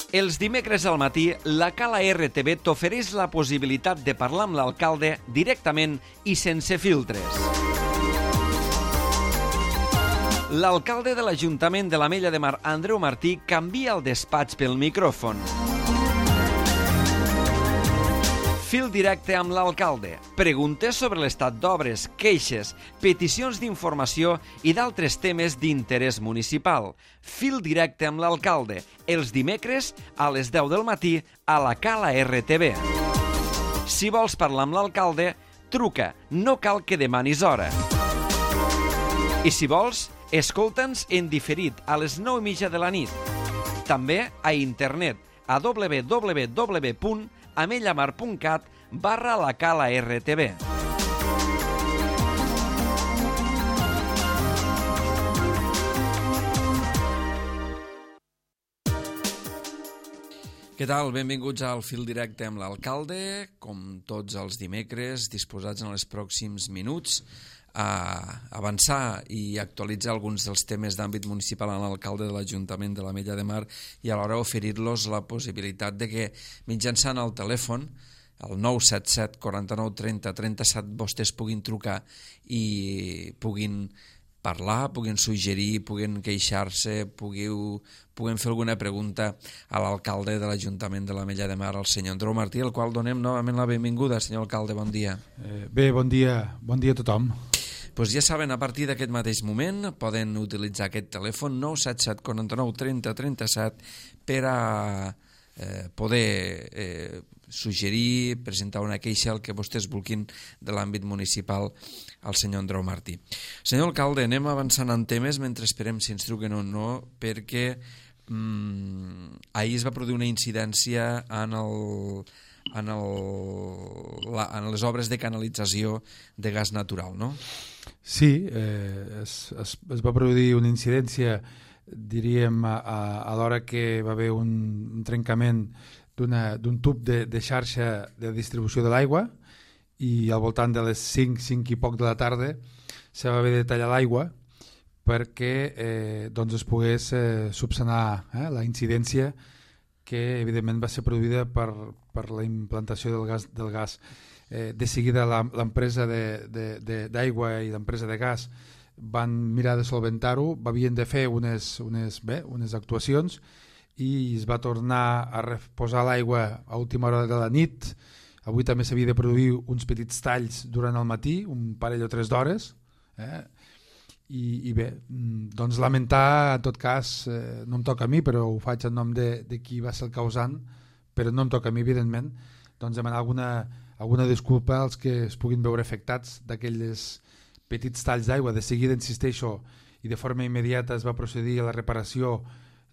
Els dimecres al matí, la Cala RTV t'ofereix la possibilitat de parlar amb l'alcalde directament i sense filtres. L'alcalde de l'Ajuntament de l'Ametlla de Mar, Andreu Martí, canvia el despatx pel micròfon. Fil directe amb l'alcalde. Preguntes sobre l'estat d'obres, queixes, peticions d'informació i d'altres temes d'interès municipal. Fil directe amb l'alcalde. Els dimecres a les 10 del matí a la Cala RTV. Si vols parlar amb l'alcalde, truca. No cal que demanis hora. I si vols, escolta'ns en diferit a les 9:30 de la nit. També a internet a www.amellamar.cat/la Cala RTV. Què tal? Benvinguts al Fil Directe amb l'alcalde, com tots els dimecres, disposats en els pròxims minuts a avançar i actualitzar alguns dels temes d'àmbit municipal a l'alcalde de l'Ajuntament de l'Ametlla de Mar i alhora oferir-los la possibilitat de que mitjançant el telèfon, el 977 49 30 37, vostès puguin trucar i puguin parlar, puguin suggerir, puguin queixar-se, puguin fer alguna pregunta a l'alcalde de l'Ajuntament de l'Ametlla de Mar, el senyor Andreu Martí, al qual donem novament la benvinguda. Senyor alcalde, bon dia. Bé, bon dia a tothom. Pues ja saben, a partir d'aquest mateix moment poden utilitzar aquest telèfon 977 49 30 37 per a poder suggerir, presentar una queixa, el que vostès vulguin de l'àmbit municipal al senyor Andreu Martí. Senyor alcalde, anem avançant en temes mentre esperem si ens truquen o no, perquè ahir es va produir una incidència en les obres de canalització de gas natural, no? Sí, es va produir una incidència, diríem, a l'hora que va haver un trencament d'un tub de xarxa de distribució de l'aigua i al voltant de les 5 i poc de la tarda se va haver de tallar l'aigua perquè es pogués subsanar la incidència que evidentment va ser produïda per la implantació del gas. De seguida l'empresa d'aigua i l'empresa de gas van mirar de solventar-ho, havien de fer unes actuacions i es va tornar a reposar l'aigua a última hora de la nit. Avui també s'havia de produir uns petits talls durant el matí, un parell o 3 d'hores, i bé, doncs lamentar, en tot cas, no em toca a mi, però ho faig en nom de qui va ser el causant, però no em toca a mi, evidentment, doncs demanar alguna disculpa als que es puguin veure afectats d'aquells petits talls d'aigua. De seguida, insisteixo, i de forma immediata es va procedir a la reparació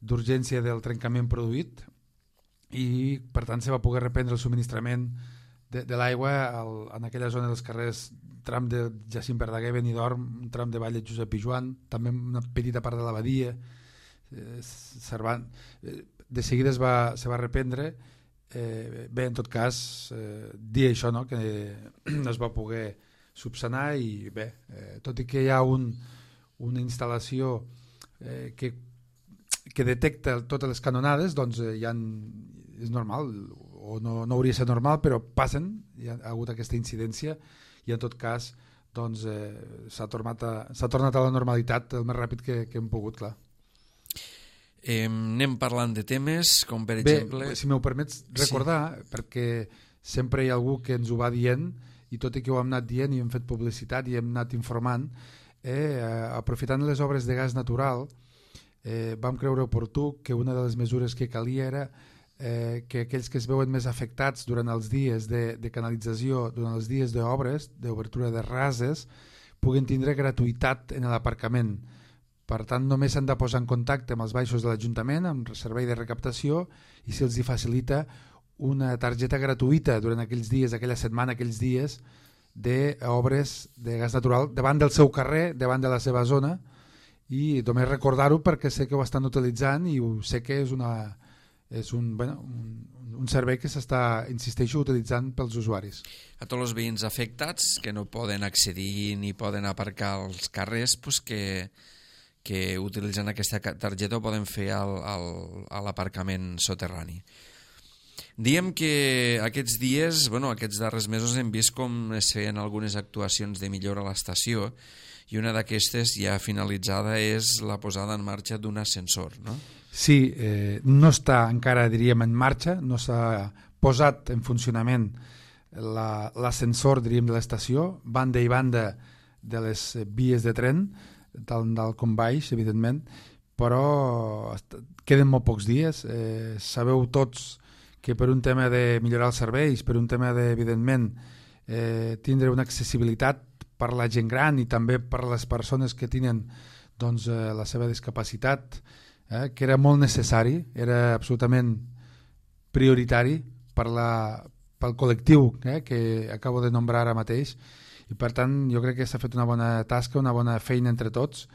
d'urgència del trencament produït i per tant se va poder reprendre el subministrament de l'aigua en aquella zona dels carrers, tram de Jacint Verdaguer, Benidorm, tram de Vall de Josep Pijoan, també una petita part de l'abadia. De seguida se va reprendre. Bé, en tot cas, dir això, no? Que es va poder subsanar i bé, tot i que hi ha una instal·lació que detecta totes les canonades, doncs és normal, o no hauria de ser normal, però passen, hi ha hagut aquesta incidència i en tot cas doncs, s'ha tornat a la normalitat el més ràpid que hem pogut, clar. Anem parlant de temes com per exemple... Bé, si m'ho permets recordar, sí, perquè sempre hi ha algú que ens ho va dient i tot i que ho hem anat dient i hem fet publicitat i hem anat informant, aprofitant les obres de gas natural, vam creure oportú que una de les mesures que calia era que aquells que es veuen més afectats durant els dies de canalització, durant els dies d'obres, d'obertura de rases, puguin tindre gratuïtat en l'aparcament. Per tant, només s'han de posar en contacte amb els baixos de l'Ajuntament, amb el servei de recaptació, i se'ls facilita una targeta gratuïta durant aquells dies, aquella setmana, aquells dies d'obres de gas natural davant del seu carrer, davant de la seva zona, i només recordar-ho perquè sé que ho estan utilitzant i sé que és un servei que s'està, insisteixo, utilitzant pels usuaris. A tots els veïns afectats que no poden accedir ni poden aparcar als carrers, pues que que utilitzant aquesta targeta ho poden fer a l'aparcament soterrani. Diem que aquests dies, aquests darrers mesos hem vist com es feien algunes actuacions de millora a l'estació i una d'aquestes ja finalitzada és la posada en marxa d'un ascensor, no? Sí, no està encara, diríem, en marxa, no s'ha posat en funcionament l'ascensor, diríem, de l'estació, banda i banda de les vies de tren, tant dalt com baix, evidentment, però queden molt pocs dies. Sabeu tots que per un tema de millorar els serveis, per un tema de, evidentment, tindre una accessibilitat per la gent gran i també per les persones que tenen doncs, la seva discapacitat, que era molt necessari, era absolutament prioritari pel col·lectiu que acabo de nombrar ara mateix, i per tant jo crec que s'ha fet una bona tasca, una bona feina entre tots.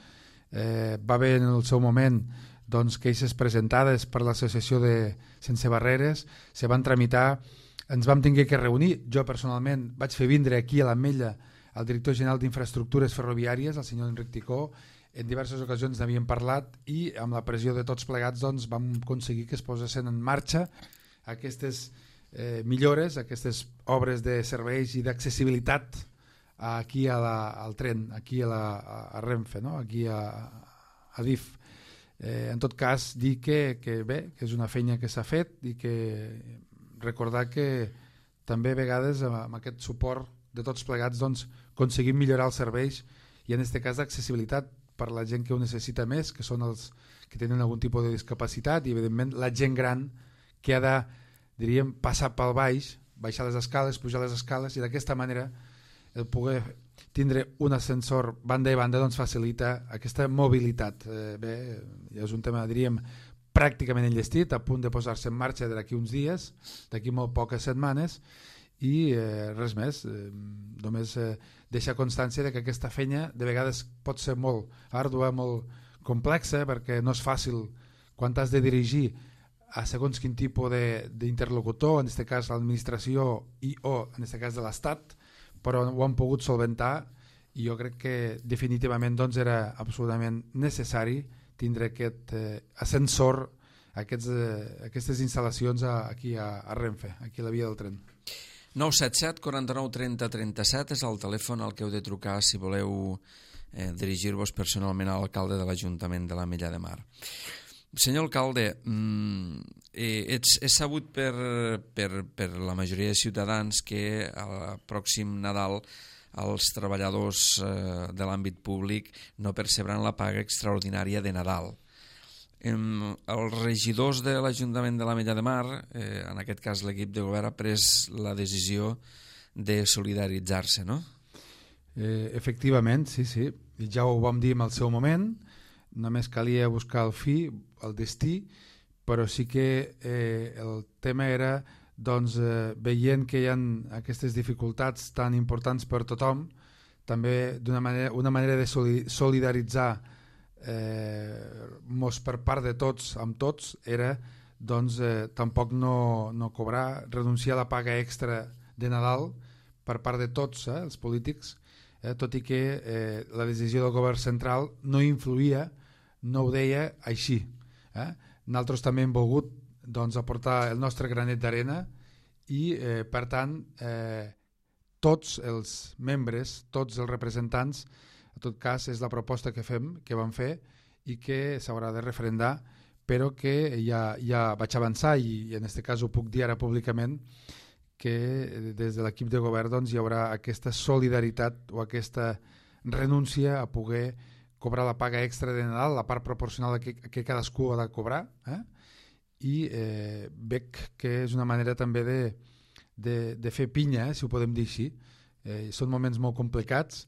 Va haver en el seu moment doncs, queixes presentades per l'associació de Sense Barreres, se van tramitar, ens vam tenir que reunir, jo personalment vaig fer vindre aquí a l'Ametlla el director general d'Infraestructures Ferroviàries, el senyor Enric Ticó, en diverses ocasions n'havíem parlat i amb la pressió de tots plegats doncs, vam aconseguir que es posessin en marxa aquestes millores, aquestes obres de serveis i d'accessibilitat aquí al tren, aquí a Renfe, no? Aquí a DIF. En tot cas, dir que bé, que és una feina que s'ha fet i que recordar que també a vegades amb aquest suport de tots plegats doncs, aconseguim millorar els serveis i en aquest cas d'accessibilitat per la gent que ho necessita més, que són els que tenen algun tipus de discapacitat i evidentment la gent gran que ha de, diríem, passar pel baix, baixar les escales, pujar les escales i d'aquesta manera el poder tindre un ascensor banda i banda doncs facilita aquesta mobilitat. Bé, és un tema, diríem, pràcticament enllestit, a punt de posar-se en marxa d'aquí uns dies, d'aquí molt poques setmanes, i res més, només deixar constància de que aquesta feina de vegades pot ser molt àrdua, molt complexa, perquè no és fàcil quan t'has de dirigir a segons quin tipus d'interlocutor, en aquest cas l'administració o en aquest cas de l'Estat, però ho han pogut solventar i jo crec que definitivament doncs, era absolutament necessari tindre aquest ascensor, aquestes instal·lacions aquí a Renfe, aquí a la via del tren. 977 49 30 37 és el telèfon al que heu de trucar si voleu dirigir-vos personalment a l'alcalde de l'Ajuntament de l'Ametlla de Mar. Senyor alcalde, és sabut per la majoria de ciutadans que al pròxim Nadal els treballadors de l'àmbit públic no percebran la paga extraordinària de Nadal. Els regidors de l'Ajuntament de l'Ametlla de Mar, en aquest cas l'equip de govern, ha pres la decisió de solidaritzar-se, no? Efectivament, sí. Ja ho vam dir en el seu moment, només calia buscar el destí, però sí que el tema era doncs, veient que hi ha aquestes dificultats tan importants per tothom, també una manera de solidaritzar per part de tots amb tots era doncs, tampoc no cobrar, renunciar a la paga extra de Nadal per part de tots els polítics, tot i que la decisió del govern central no influïa, no ho deia així. Nosaltres també hem volgut doncs, aportar el nostre granet d'arena i per tant tots els membres, tots els representants, en tot cas és la proposta que vam fer i que s'haurà de referendar, però que ja vaig avançar i en aquest cas ho puc dir ara públicament que des de l'equip de govern doncs, hi haurà aquesta solidaritat o aquesta renúncia a poder cobrar la paga extra de Nadal, la part proporcional que cadascú ha de cobrar, i veig que és una manera també de fer pinya, si ho podem dir així. Són moments molt complicats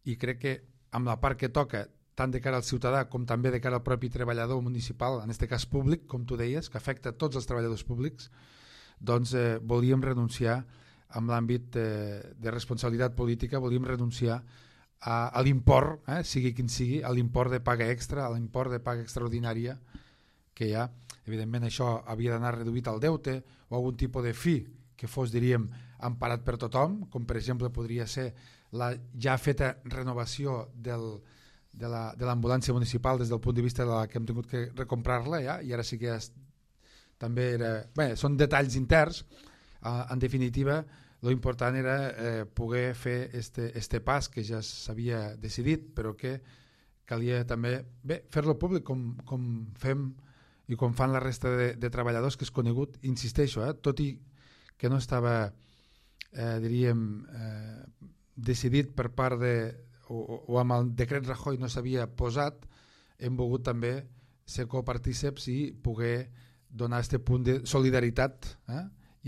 i crec que amb la part que toca, tant de cara al ciutadà com també de cara al propi treballador municipal, en aquest cas públic, com tu deies, que afecta tots els treballadors públics, doncs volíem renunciar amb l'àmbit de responsabilitat política, volíem renunciar a l'import, sigui quin sigui, a l'import de paga extra, a l'import de paga extraordinària que hi ha. Evidentment això havia d'anar reduït al deute o algun tipus de fi que fos, diríem, emparat per tothom, com per exemple podria ser la ja feta renovació de l'ambulància municipal des del punt de vista de la que hem tingut que recomprar-la ja, i ara sí que també era... Bé, són detalls interns. En definitiva, lo important era poder fer este pas que ja s'havia decidit, però que calia també fer-lo públic com fem i com fan la resta de treballadors, que és conegut, insisteixo, tot i que no estava, diríem, decidit per part de... o amb el decret Rajoy no s'havia posat, hem volgut també ser copartíceps i poder donar aquest punt de solidaritat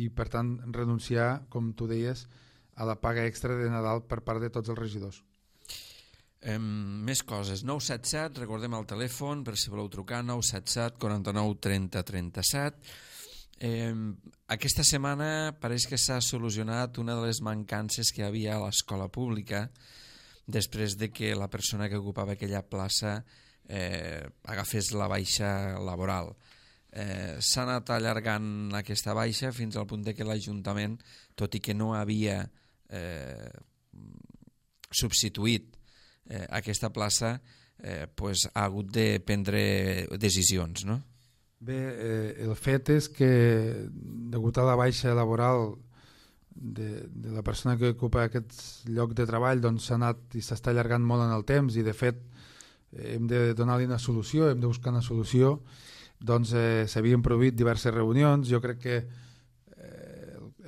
i per tant renunciar, com tu deies, a la paga extra de Nadal per part de tots els regidors. Més coses. 977, recordem el telèfon per si voleu trucar, 977 49 30 37. Aquesta setmana pareix que s'ha solucionat una de les mancances que hi havia a l'escola pública després de que la persona que ocupava aquella plaça agafés la baixa laboral. S'ha anat allargant aquesta baixa fins al punt de que l'Ajuntament, tot i que no havia substituït aquesta plaça, ha hagut de prendre decisions, no? Bé, el fet és que degut a la baixa laboral de la persona que ocupa aquest lloc de treball, doncs s'ha anat i s'està allargant molt en el temps, i de fet hem de donar-li una solució, hem de buscar una solució. Doncs s'havien produït diverses reunions. Jo crec que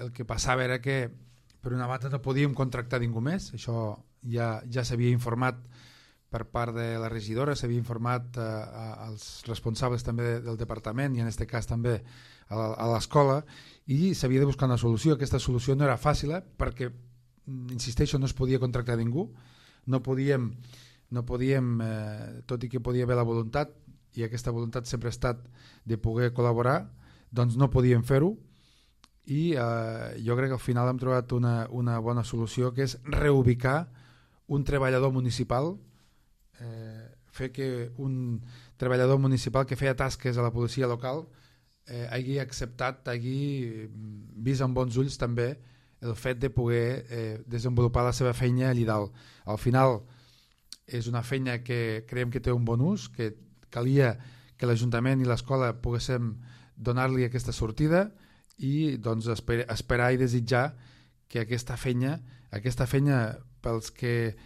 el que passava era que per una banda no podíem contractar ningú més, això ja s'havia informat per part de la regidora, s'havia informat als responsables també del departament i en aquest cas també a l'escola, i s'havia de buscar una solució. Aquesta solució no era fàcil perquè, insisteixo, no es podia contractar ningú, no podíem, tot i que podia haver la voluntat, i aquesta voluntat sempre ha estat de poder col·laborar, doncs no podíem fer-ho, i jo crec que al final hem trobat una bona solució, que és reubicar un treballador municipal, fer que un treballador municipal que feia tasques a la policia local hagi acceptat, hagi vist amb bons ulls també el fet de poder desenvolupar la seva feina allà dalt. Al final és una feina que creiem que té un bon ús, que calia que l'Ajuntament i l'escola poguéssim donar-li aquesta sortida, i doncs esperar i desitjar que aquesta feina pels que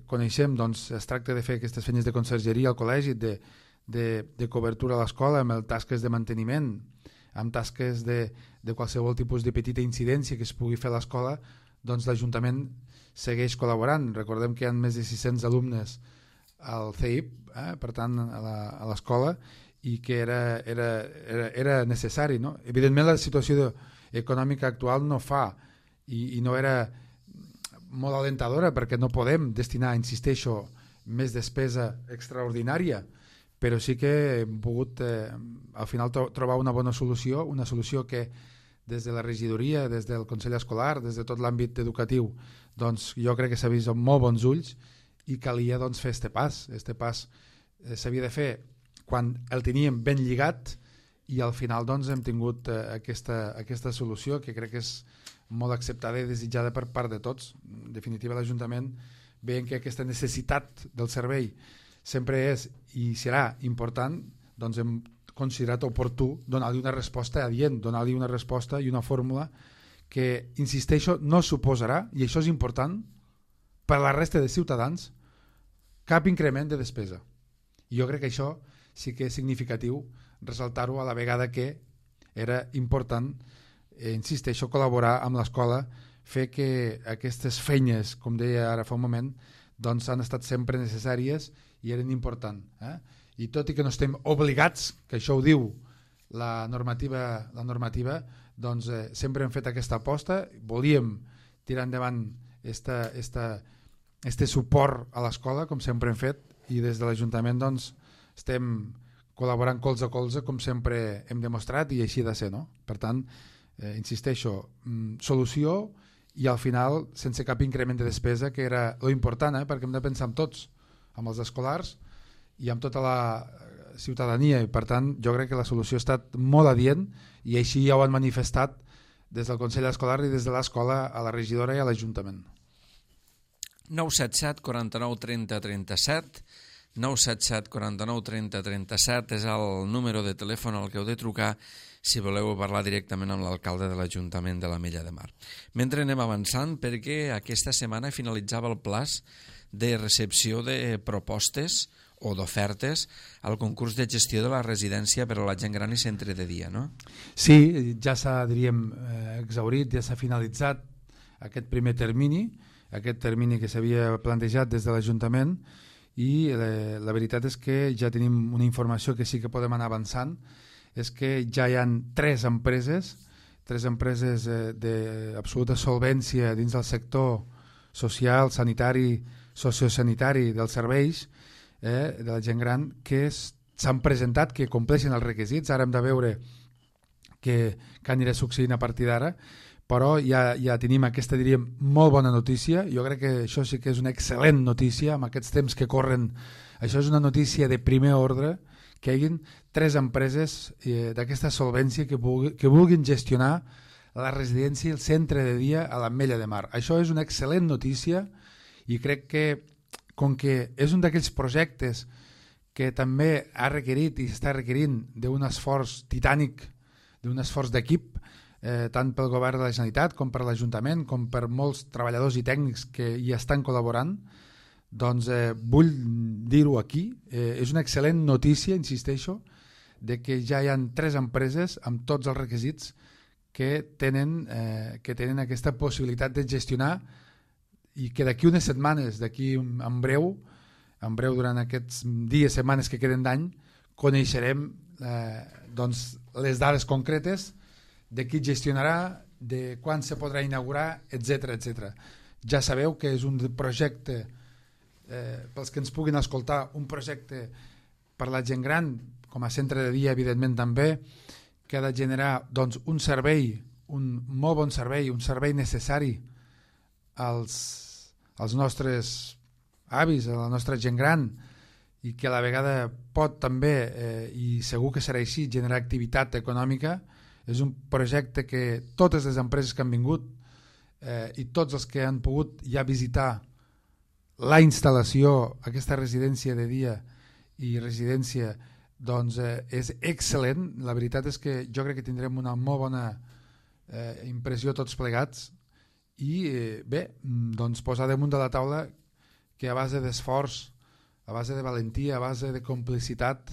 coneixem, doncs es tracta de fer aquestes feines de consergeria al col·legi, de cobertura a l'escola, amb tasques de manteniment, amb tasques de qualsevol tipus de petita incidència que es pugui fer a l'escola, doncs l'Ajuntament segueix col·laborant. Recordem que hi ha més de 600 alumnes al CEIP, per tant a l'escola, i que era necessari, no? Evidentment la situació econòmica actual no fa i no era molt alentadora, perquè no podem destinar, insisteixo, més despesa extraordinària, però sí que hem pogut al final trobar una bona solució, una solució que des de la regidoria, des del Consell Escolar, des de tot l'àmbit educatiu, doncs jo crec que s'ha vist amb molt bons ulls, i calia doncs fer este pas. Este pas s'havia de fer quan el teníem ben lligat, i al final doncs hem tingut aquesta solució, que crec que és molt acceptada i desitjada per part de tots. En definitiva, l'Ajuntament, veient que aquesta necessitat del servei sempre és i serà important, doncs hem considerat oportú donar-li una resposta adient, donar-li una resposta i una fórmula que, insisteixo, no suposarà, i això és important, per a la resta de ciutadans, cap increment de despesa. I jo crec que això sí que és significatiu ressaltar-ho, a la vegada que era important, insisteixo, col·laborar amb l'escola, fer que aquestes feines, com deia ara fa un moment, doncs han estat sempre necessàries i eren importants. I tot i que no estem obligats, que això ho diu la normativa, doncs sempre hem fet aquesta aposta, volíem tirar endavant este suport a l'escola, com sempre hem fet, i des de l'Ajuntament doncs estem col·laborant colze a colze, com sempre hem demostrat, i així ha de ser, no? Per tant, insisteixo, solució, i al final sense cap increment de despesa, que era lo important, perquè hem de pensar en tots, amb els escolars i amb tota la ciutadania, i per tant jo crec que la solució ha estat molt adient, i així ja ho han manifestat des del Consell Escolar i des de l'escola a la regidora i a l'Ajuntament. 977 49 30 37, 977 49 30 37 és el número de telèfon al que heu de trucar si voleu parlar directament amb l'alcalde de l'Ajuntament de l'Ametlla de Mar. Mentre anem avançant, perquè aquesta setmana finalitzava el plaç de recepció de propostes o d'ofertes al concurs de gestió de la residència per a la gent gran i centre de dia, no? Sí, ja s'ha, diríem, exhaurit, ja s'ha finalitzat aquest primer termini, aquest termini que s'havia plantejat des de l'Ajuntament, i la veritat és que ja tenim una informació que sí que podem anar avançant, és que ja hi ha tres empreses d'absoluta solvència dins del sector social, sanitari, sociosanitari dels serveis de la gent gran, que s'han presentat, que compleixen els requisits. Ara hem de veure què anirà succeint a partir d'ara, però ja tenim aquesta, diríem, molt bona notícia. Jo crec que això sí que és una excel·lent notícia amb aquests temps que corren. Això és una notícia de primer ordre, que hi hagin tres empreses d'aquesta solvència que vulguin gestionar la residència i el centre de dia a l'Ametlla de Mar. Això és una excel·lent notícia i crec que, com que és un d'aquells projectes que també ha requerit i està requerint d'un esforç titànic, d'un esforç d'equip, tant pel govern de la Generalitat com per l'Ajuntament, com per molts treballadors i tècnics que hi estan col·laborant, doncs vull dir-ho aquí. És una excel·lent notícia, insisteixo, de que ja hi ha tres empreses amb tots els requisits que tenen aquesta possibilitat de gestionar, i que d'aquí unes setmanes, d'aquí en breu durant aquests dies, setmanes que queden d'any, coneixerem doncs, les dades concretes de qui gestionarà, de quan se podrà inaugurar, etc. Ja sabeu que és un projecte, pels que ens puguin escoltar, un projecte per la gent gran, com a centre de dia evidentment també, que ha de generar doncs, un servei, un molt bon servei, un servei necessari als nostres avis, a la nostra gent gran, i que a la vegada pot també, i segur que serà així, generar activitat econòmica. És un projecte que totes les empreses que han vingut i tots els que han pogut ja visitar la instal·lació, aquesta residència de dia i residència, doncs és excel·lent. La veritat és que jo crec que tindrem una molt bona impressió tots plegats, i bé, doncs posar damunt de la taula que a base d'esforç, a base de valentia, a base de complicitat,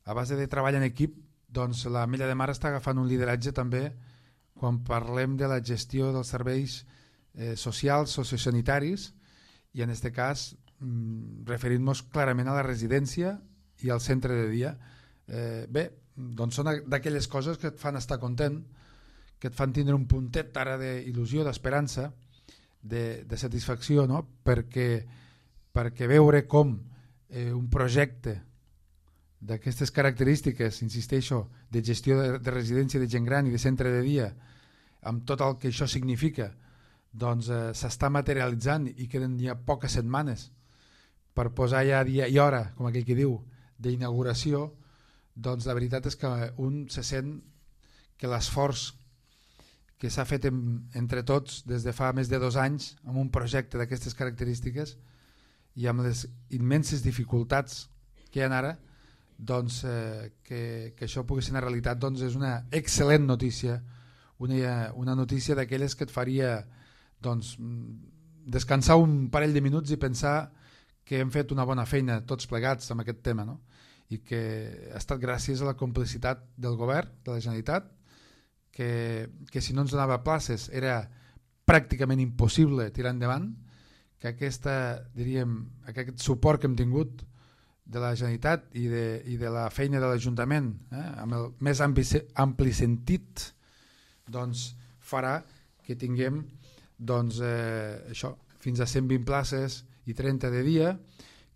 a base de treball en equip, doncs l'Ametlla de Mar està agafant un lideratge també quan parlem de la gestió dels serveis socials, sociosanitaris, i en aquest cas referint-nos clarament a la residència i al centre de dia. Bé, doncs són d'aquelles coses que et fan estar content, que et fan tindre un puntet ara d'il·lusió, d'esperança, de satisfacció, no? perquè veure com un projecte d'aquestes característiques, insisteixo, de gestió de residència de gent gran i de centre de dia, amb tot el que això significa, doncs s'està materialitzant i queden ja poques setmanes per posar ja dia i hora, com aquell que diu, d'inauguració. Doncs la veritat és que un se sent que l'esforç que s'ha fet entre tots des de fa més de 2 anys amb un projecte d'aquestes característiques i amb les immenses dificultats que hi ha ara, doncs que això pugui ser una realitat, doncs és una excel·lent notícia, una notícia d'aquelles que et faria doncs, descansar un parell de minuts i pensar que hem fet una bona feina tots plegats amb aquest tema, no? I que ha estat gràcies a la complicitat del govern, de la Generalitat, que si no ens donava places era pràcticament impossible tirar endavant, que aquest suport que hem tingut de la Generalitat i de la feina de l'Ajuntament, amb el més ampli sentit, doncs farà que tinguem doncs, això, fins a 120 places i 30 de dia,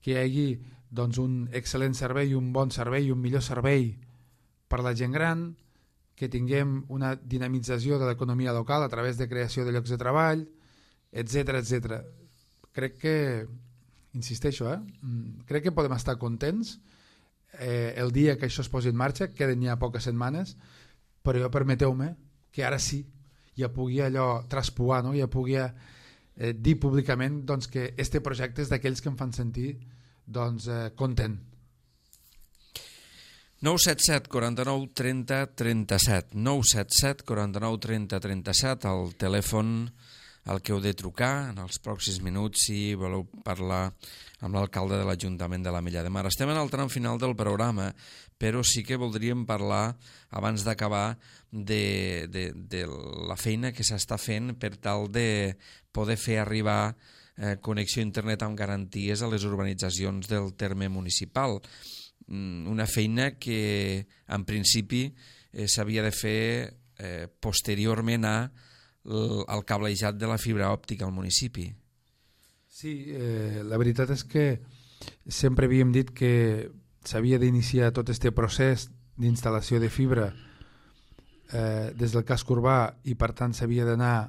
que hi hagi doncs, un excel·lent servei, un bon servei, un millor servei per la gent gran, que tinguem una dinamització de l'economia local a través de creació de llocs de treball, etc. Crec que, insisteixo, crec que podem estar contents el dia que això es posi en marxa, queden ja poques setmanes, però jo permeteu-me que ara sí ja pugui allò traspuar, no? Ja pugui dir públicament doncs, que este projecte és d'aquells que em fan sentir doncs, content. 977 49 30 37 977 49 30 37 el telèfon al que heu de trucar en els pròxims minuts si voleu parlar amb l'alcalde de l'Ajuntament de l'Ametlla de Mar. Estem en el tram final del programa, però sí que voldríem parlar, abans d'acabar, de la feina que s'està fent per tal de poder fer arribar connexió a internet amb garanties a les urbanitzacions del terme municipal. Una feina que, en principi, s'havia de fer posteriorment al cablejat de la fibra òptica al municipi. Sí, la veritat és que sempre havíem dit que s'havia d'iniciar tot aquest procés d'instal·lació de fibra des del casc urbà i per tant s'havia d'anar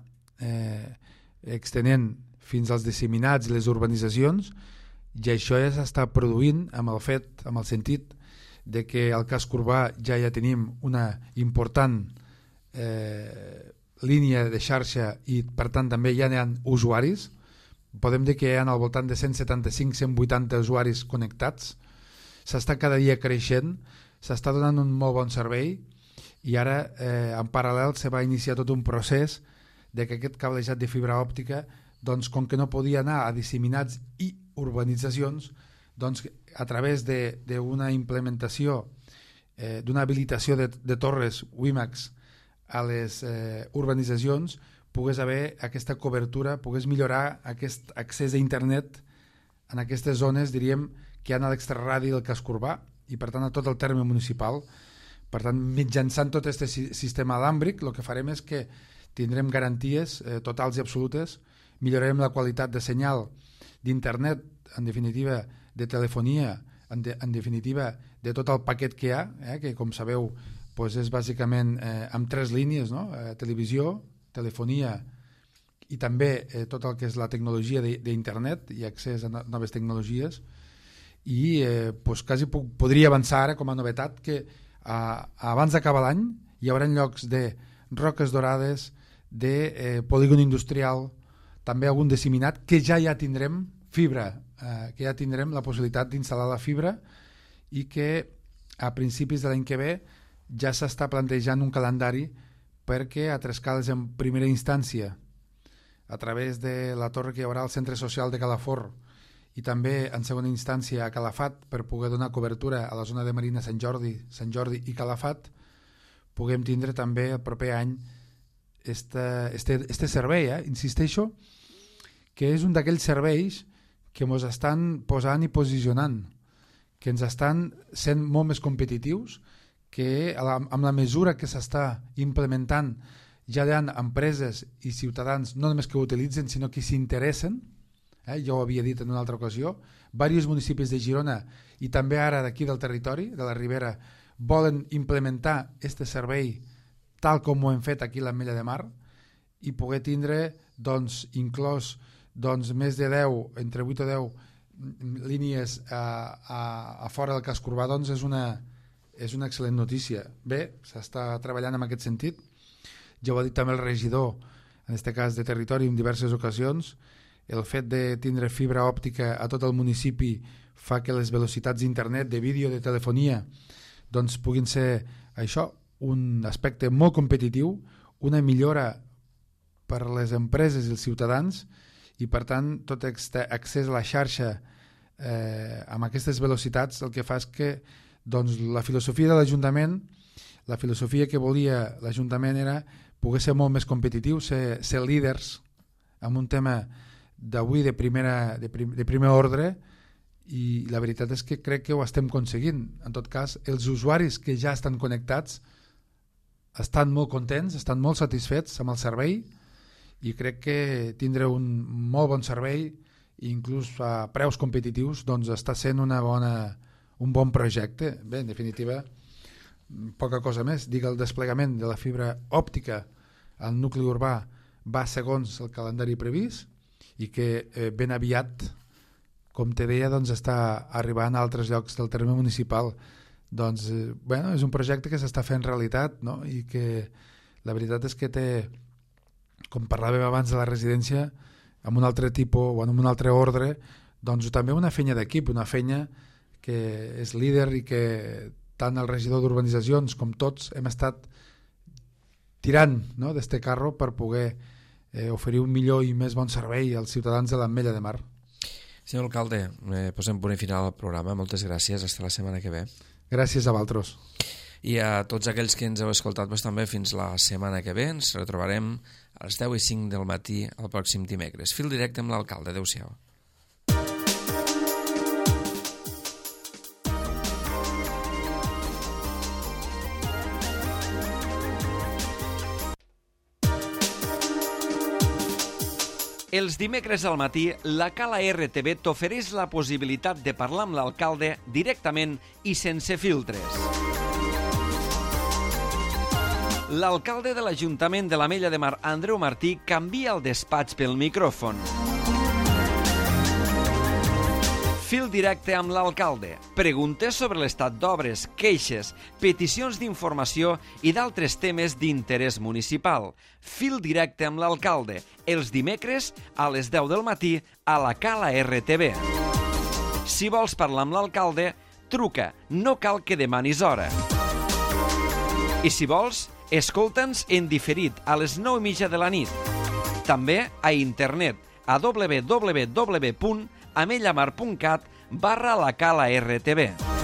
extenent fins als disseminats i les urbanitzacions, i això ja s'està produint amb el fet, amb el sentit de que al casc urbà ja tenim una important línia de xarxa i per tant també ja n'hi ha usuaris. Podem dir que hi ha al voltant de 175-180 usuaris connectats. S'està cada dia creixent, s'està donant un molt bon servei i ara en paral·lel se va iniciar tot un procés de que aquest cablejat de fibra òptica, doncs, com que no podia anar a disseminats i urbanitzacions, doncs, a través d'una implementació, d'una habilitació de torres WiMAX a les urbanitzacions, pogués haver aquesta cobertura, pogués millorar aquest accés a internet en aquestes zones, diríem, que hi ha a l'extraradi del casc urbà i per tant a tot el terme municipal. Per tant, mitjançant tot aquest sistema alàmbric, el que farem és que tindrem garanties totals i absolutes, millorarem la qualitat de senyal d'internet, en definitiva de telefonia, en definitiva de tot el paquet que hi ha, que com sabeu doncs és bàsicament amb 3 línies, no? Televisió, telefonia i també tot el que és la tecnologia d'internet i accés a noves tecnologies. I doncs quasi podria avançar ara com a novetat que abans d'acabar l'any hi haurà llocs de Roques Dorades, de polígon industrial, també algun disseminat, que ja tindrem fibra, que ja tindrem la possibilitat d'instal·lar la fibra i que a principis de l'any que ve ja s'està plantejant un calendari perquè a Trescales en primera instància, a través de la torre que hi haurà al centre social de Calafort i també en segona instància a Calafat per poder donar cobertura a la zona de Marina Sant Jordi i Calafat, puguem tindre també el proper any este servei, insisteixo, que és un d'aquells serveis que ens estan posant i posicionant, que ens estan sent molt més competitius, que amb la mesura que s'està implementant ja hi ha empreses i ciutadans no només que ho utilitzen sinó que s'interessen, ja ho havia dit en una altra ocasió, diversos municipis de Girona i també ara d'aquí del territori, de la Ribera, volen implementar aquest servei tal com ho hem fet aquí a l'Ametlla de Mar i poder tindre doncs, inclòs més de 10, entre 8 o 10 línies a fora del casc urbà, doncs és una excel·lent notícia. Bé, s'està treballant en aquest sentit. Ja ho ha dit també el regidor, en aquest cas de territori, en diverses ocasions. El fet de tindre fibra òptica a tot el municipi fa que les velocitats d'internet, de vídeo, de telefonia, doncs puguin ser això, un aspecte molt competitiu, una millora per a les empreses i els ciutadans i per tant tot accés a la xarxa amb aquestes velocitats el que fa és que doncs, la filosofia de l'Ajuntament, la filosofia que volia l'Ajuntament era poder ser molt més competitiu, ser líders en un tema d'avui de primer ordre i la veritat és que crec que ho estem aconseguint. En tot cas, els usuaris que ja estan connectats estan molt contents, estan molt satisfets amb el servei i crec que tindre un molt bon servei i inclús a preus competitius doncs està sent un bon projecte. Bé, en definitiva, poca cosa més. Dic, el desplegament de la fibra òptica al nucli urbà va segons el calendari previst i que ben aviat, com te deia, doncs està arribant a altres llocs del terme municipal. Doncs, bueno, és un projecte que s'està fent realitat, no? I que la veritat és que té, com parlàvem abans de la residència, amb un altre tipus o en un altre ordre, doncs també una feina d'equip, una feina que és líder i que tant el regidor d'urbanitzacions com tots hem estat tirant, no?, d'este carro per poder oferir un millor i més bon servei als ciutadans de l'Ametlla de Mar. Senyor alcalde, posem punt i final al programa. Moltes gràcies. Fins la setmana que ve. Gràcies a vosaltres. I a tots aquells que ens heu escoltat també fins la setmana que ve. Ens retrobarem a les 10:05 del matí el pròxim dimecres. Fil directe amb l'alcalde. Adéu-siau. Els dimecres al matí, la Cala RTV t'ofereix la possibilitat de parlar amb l'alcalde directament i sense filtres. L'alcalde de l'Ajuntament de l'Ametlla de Mar, Andreu Martí, canvia el despatx pel micròfon. Fil directe amb l'alcalde. Preguntes sobre l'estat d'obres, queixes, peticions d'informació i d'altres temes d'interès municipal. Fil directe amb l'alcalde. Els dimecres a les 10 del matí a la Cala RTV. Si vols parlar amb l'alcalde, truca. No cal que demanis hora. I si vols, escolta'ns en diferit a les 9:30 de la nit. També a internet a www.amellamar.cat/la Cala RTV.